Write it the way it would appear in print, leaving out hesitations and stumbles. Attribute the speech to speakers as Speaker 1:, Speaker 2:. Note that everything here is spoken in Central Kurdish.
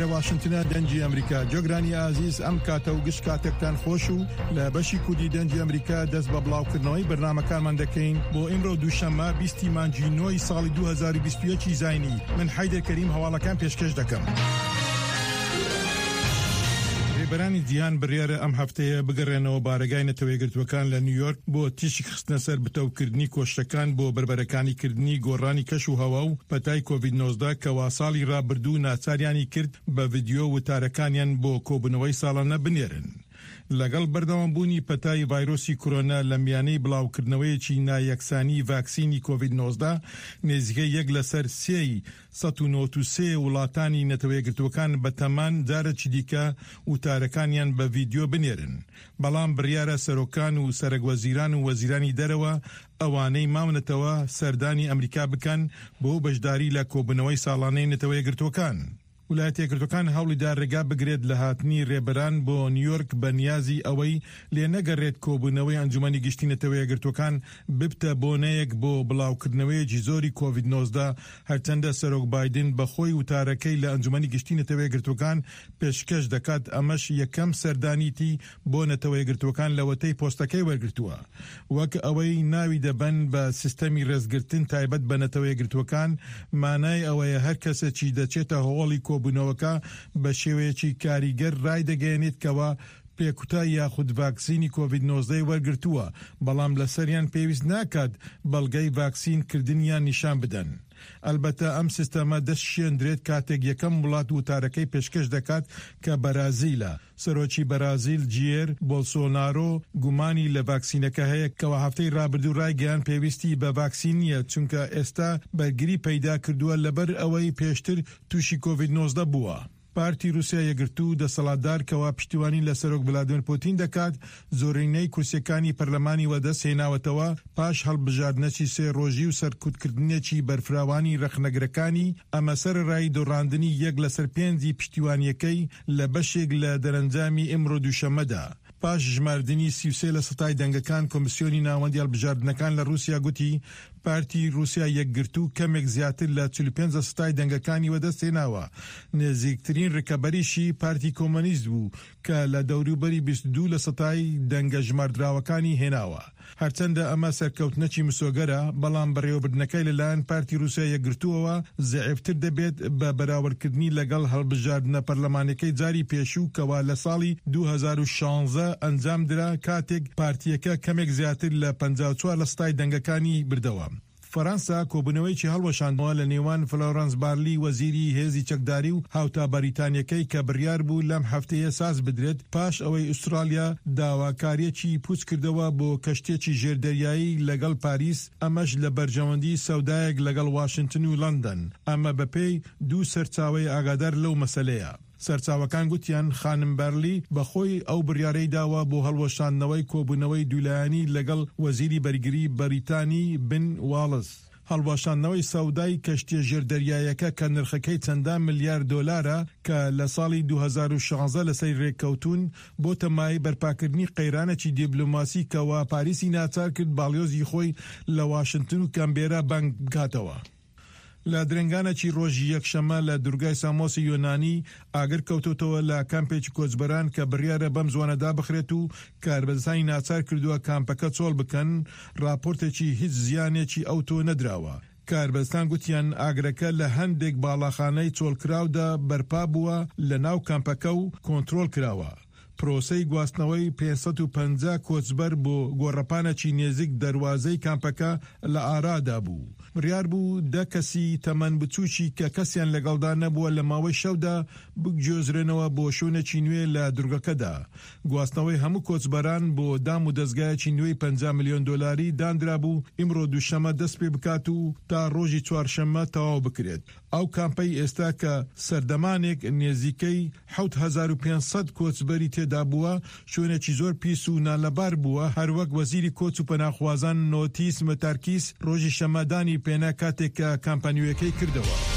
Speaker 1: ئێرە واشنتنە دەنگی ئەمریکا. گوێگرانی ئازیز ئەم کاتە و گشت کاتێکتان خۆش و لە بەشی کوردی دەنگی ئەمریکا دەست بە بڵاوکردنەوەی بەرنامەکانمان دەکەین بۆ ئیمڕۆ دووشەممە 20 مانگی نۆی ساڵی 2021 زاینی. من حەیدەر کەریم هەواڵەکان پێشکەش دەکەم. رێبەرانی جیهان بڕیارە ئەم هەفتەیە بگەڕێنەوە بارەگای نەتەوەیەکگرتووەکان لە نیویۆرک بۆ تیشک خستنە سەر بتەوکردنی کۆششەکان بۆ بەربەرەکانی کردنی گۆڕانی کەش و هەوا و پەتای کۆڤید 19 کەوا ساڵی رابردوو ناچاریانی کرد بە ڤیدیۆ وتارەکانیان بۆ کۆبوونەوەی ساڵانە بنێرن. لەگەڵ بەردەوامبوونی پەتای ڤایرۆسی کۆرۆنا لە میانەی بڵاوکردنەوەیەکی نایەکسانی ڤاکسینی کۆڤید 19 نزیکەی یەک لەسەر سێی 193 وڵاتانی نەتەوەیەکگرتووەکان بەتەمان جارێکی دیکە وتارەکانیان بە ڤیدیۆ بنێرن، بەڵام بڕیارە سەرۆکان و سەرەک وەزیران و وەزیرانی دەرەوە ئەوانەی ماونەتەوە سەردانی ئەمریکا بکەن بۆ بەشداری لە کۆبوونەوەی ساڵانەی نەتەوەیەکگرتووەکان. ولایەتە یەکگرتووەکان هەوڵیدا رێگا بگرێت لە هاتنی رێبەران بۆ نیویۆرک بە نیازی ئەوەی لێنەگەڕێت کۆبوونەوەی ئەنجومەنی گشتی نەتەوە یەکگرتووەکان ببتە بۆنەیەک بۆ بڵاوکردنەوەیەکی زۆری کۆڤید 19 هەرچەندە سەرۆک بایدن بەخۆی وتارەکەی لە ئەنجومەنی گشتی نەتەوە یەکگرتووەکان پێشکەش دەکات ئەمەش یەکەم سەردانیتی بۆ نەتەوە یەکگرتووەکان لەوەتەی پۆستەکەی وەرگرتووە. وەک ئەوەی ناوی دەبەن بە سیستەمی ڕێزگرتن تایبەت بە نەتەوە یەکگرتووەکان، مانای ئەوەیە هەر کەسێکی دەچێتە هۆڵی کۆبوونەوەکە بە شێوەیەکی کاریگەر ڕایدەگەیەنێت کەوا پێکوتە یاخود ڤاکسینی کۆڤید 19 ی وەرگرتووە، بەڵام لەسەریان پێویست ناکات بەڵگەی ڤاکسین کردنیان نیشان بدەن. ئەلبەتە ئەم سیستەمە دەشکێندرێت کاتێک یەکەم وڵات وتارەکەی پێشکەش دەکات کە بەرازیلە. سەرۆکی بەرازیل جیێر بۆلسۆنارۆ گومانی لە ڤاکسینەکە هەیە کەوا هەفتەی رابردوو رایگەیاند پێویستی بە ڤاکسین نییە چونکە ئێستا بەرگری پەیدا کردووە لەبەر ئەوەی پێشتر تووشی کۆڤید 19 بووە. پارتی روسیا یەکگرتوو دەسەڵاتدار کەوا پشتیوانی لە سەرۆک ڤلادیمێر پوتین دەکات زۆرینەی کورسیەکانی پەرلەمانی وەدەست هێناوەتەوە پاش هەڵبژاردنەکی سێ ڕۆژی و سەرکوتکردنێکی بەرفراوانی ڕەخنەگرەکانی، ئەمە سەرەڕای دۆڕاندنی یەک لەسەر پێنجی پشتیوانیەکەی لە بەشێک لە دەرەنجامی ئمڕۆ دووشەممەدا. پاش ژماردنی 33 لە سەتای دەنگەکان، کۆمیسیۆنی ناوەندی هەڵبژاردنەکان لە ڕووسیا گوتی پارتی ڕووسیا یەکگرتوو کەمێک زیاتر لە 45 لە سەتای دەنگەکانی وەدەست هێناوە، نزیکترین ڕکەبەریشی پارتی کۆمۆنیست بوو کە لە دەوروبەری 22 لە سەتای دەنگە ژماردراوەکانی هێناوە. هەرچەندە ئەمە سەرکەوتنەکی مسۆگەرە، بەڵام بەڕێوەبردنەکەی لەلایەن پارتی رووسیای یەکگرتووەوە زەعیفتر دەبێت بە بەراوردکردنی لەگەڵ هەڵبژاردنە پەرلەمانیەکەی جاری پێشوو کەوا لە ساڵی 2016 ئەنجامدرا کاتێک پارتییەکە کەمێک زیاتر لە 54 لە سەتای دەنگەکانی بردەوە. فەرەنسا کۆبوونەوەیەکی هەڵوەشاندەوە لە نێوان فلۆرەنس بارلی وەزیری هێزی چەکداری و هاوتا بەریتانیەکەی کە بڕیار بوو لەم هەفتەیە ساز بدرێت پاش ئەوەی ئوستراڵیا داواکاریەکی پوچ کردەوە بۆ کەشتیەکی ژێردەریایی لەگەڵ پاریس ئەمەش لە بەرژەوەندی سەودایەک لەگەڵ واشنتن و لەندەن ئەمە بەپێی دوو سەرچاوەی ئاگادار لەو مەسەلەیە. سەرچاوەکان گوتیان خانم بارلی بە خۆی ئەو بڕیارەی داوە بۆ هەڵوەشاندنەوەی کۆبوونەوەی دوولایەنی لەگەڵ وەزیری بەرگری بەریتانی بن واڵس. هەڵوەشاندنەوەی سەودای کەشتیە ژێردەریایەکە کە نرخەکەی چەندان ملیار دۆلارە کە لە ساڵی 2016 لەسەری رێککەوتوون بۆتە مایەی بەرپاکردنی قەیرانێکی دیبلۆماسی کەوا پاریسی ناچار کرد باڵیۆزی خۆی لە واشنتن و کانبێرا بانگ بکاتەوە. لە درەنگانێکی ڕۆژی یەکشەممە لە دورگای سامۆسی یۆنانی ئاگر کەوتۆتەوە لە کامپێکی کۆچبەران کە بڕیارە بەم زوانە دابخرێت و کاربەدەستانی ناچار کردووە کامپەکە چۆڵ بکەن، ڕاپۆرتێکی هیچ زیانێکی ئەوتۆ نەدراوە. کاربەدەستان گوتیان ئاگرەکە لە هەندێک باڵاخانەی چۆڵکراودا بەرپا بووە لە ناو کامپەکە و کۆنترۆڵ کراوە. پرۆسەی گواستنەوەی 550 کۆچبەر بۆ گۆڕەپانێکی نێزیک دەروازەی کامپەکە لە ئارادا بوو. بڕیار بوو دە کەسی تەمەن بچووکی کە کەسیان لەگەڵدا نەبووە لە ماوەی شەودا بگوێزرێنەوە بۆ شوێنێکی نوێ لە دورگەکەدا. گواستنەوەی هەموو کۆچبەران بۆ دام و دەزگایەکی نوێی 50 ملیۆن دۆلاری داندرابوو ئیمڕۆ دووشەممە دەست پێ بکات و تا ڕۆژی چوارشەممە تەواو بکرێت. ئەو کامپەی ئێستا کە سەردەمانێک نێزیکەی 7500 کۆچبەری تێدا بووە، شوێنێکی زۆر پیس و نالەبار بووە، هەروەک وەزیری کۆچ و پەناخوازان نۆتیس متارکیس ڕۆژی شەممە دانی پێنا کاتێک کە کامپە نوێیەکەی کردەوە.